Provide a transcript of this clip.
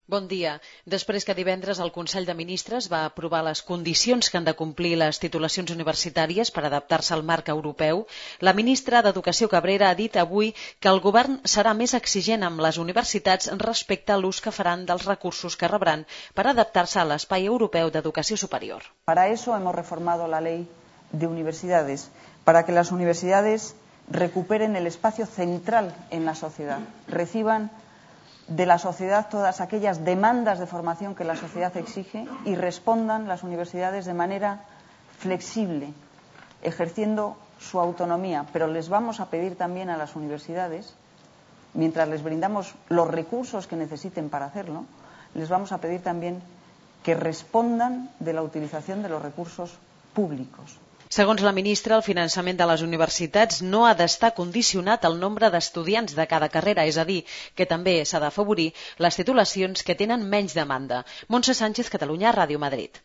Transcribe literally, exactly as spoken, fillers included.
Bon dia. Després que divendres el Consell de Ministres va aprovar les condicions que han de complir les titulacions universitàries per adaptar-se al marc europeu, la ministra d'Educació Cabrera ha dit avui que el govern serà més exigent amb les universitats respecte a l'ús que faran dels recursos que rebran per adaptar-se a l'espai europeu d'educació superior. Para eso hemos reformado la ley de universidades, para que las universidades recuperen el espacio central en la sociedad, reciban de la sociedad todas aquellas demandas de formación que la sociedad exige y respondan las universidades de manera flexible, ejerciendo su autonomía. Pero les vamos a pedir también a las universidades, mientras les brindamos los recursos que necesiten para hacerlo, les vamos a pedir también que respondan de la utilización de los recursos públicos. Segons la ministra, el finançament de les universitats no ha d'estar condicionat al nombre d'estudiants de cada carrera, és a dir, que també s'ha d'afavorir les titulacions que tenen menys demanda. Montse Sánchez, Catalunya, Ràdio Madrid.